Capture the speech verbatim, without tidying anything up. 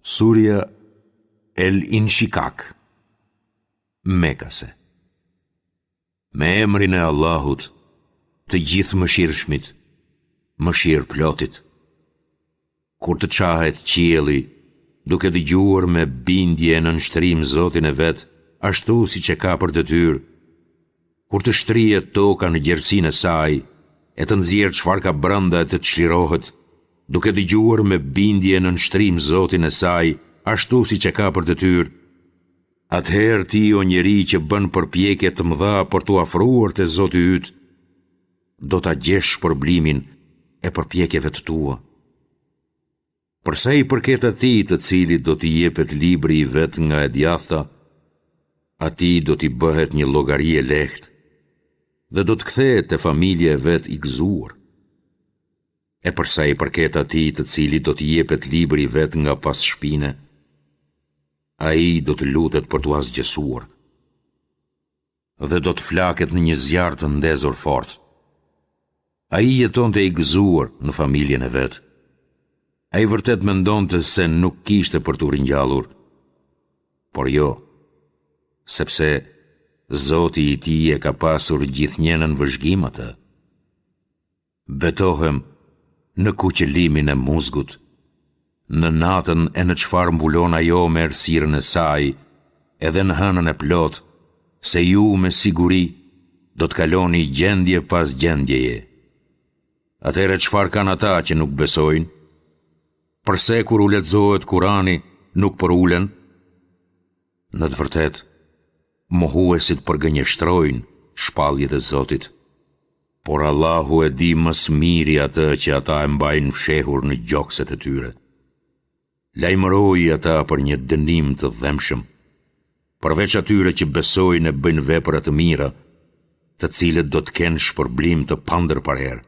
Surja El Inshikak, Mekase. Me emrin e Allahut, të Gjithëmëshirshmit, mëshirëplotit. Kur të çahet qielli, duke dëgjuar me bindje e nënshtrim Zotin e vet, ashtu siç e ka për detyrë, kur të shtrihet toka në gjerësinë e saj, e të nxjerrë çfarë ka brenda e të çlirohet, duke dëgjuar me bindje e nënshtrim Zotin e saj, ashtu siç e ka për detyrë, atëherë ti o njeri që bën përpjekje të mëdha për t'u afruar te Zoti yt, do ta gjesh shpërblimin e përpjekjeve të tua. Për sa i përket atij të cilit do t'i jepet libri i vet nga e djathta, atij do t'i bëhet një llogari e lehtë dhe do të kthehet te familja e vet i gëzuar. E për sa i përket atij të cilit do t'i jepet libri i vet nga pas shpine, ai do të lutet për t'u asgjësuar dhe do të flaket në një zjarr të ndezur fort. Ai jetonte i gëzuar në familjen e vet. Ai vërtet mendonte se nuk kishte për t'u ringjallur. Por jo, sepse Zoti i tij e ka pasur gjithnjë nën vëzhgim atë. Betohem në kuqëlimin e muzgut, në natën e në çfarë mbulon ajo me errësirën e saj, edhe në hënën e plotë, se ju me siguri do të kaloni gjendje pas gjendjeje. Atëherë çfarë kanë ata që nuk besojnë? Përse kur u lexohet Kurani nuk përulen? Në të vërtetë, mohuesit përgënjeshtrojnë shpalljet e Zotit, por Allahu e di më së miri atë që ata e mbajnë fshehur në gjokset e tyre. Lajmëroji ata për një dënim të dhembshëm, përveç atyre që besojnë e bëjnë vepra të mira, të cilët do të kenë shpërblim të pandërprerë.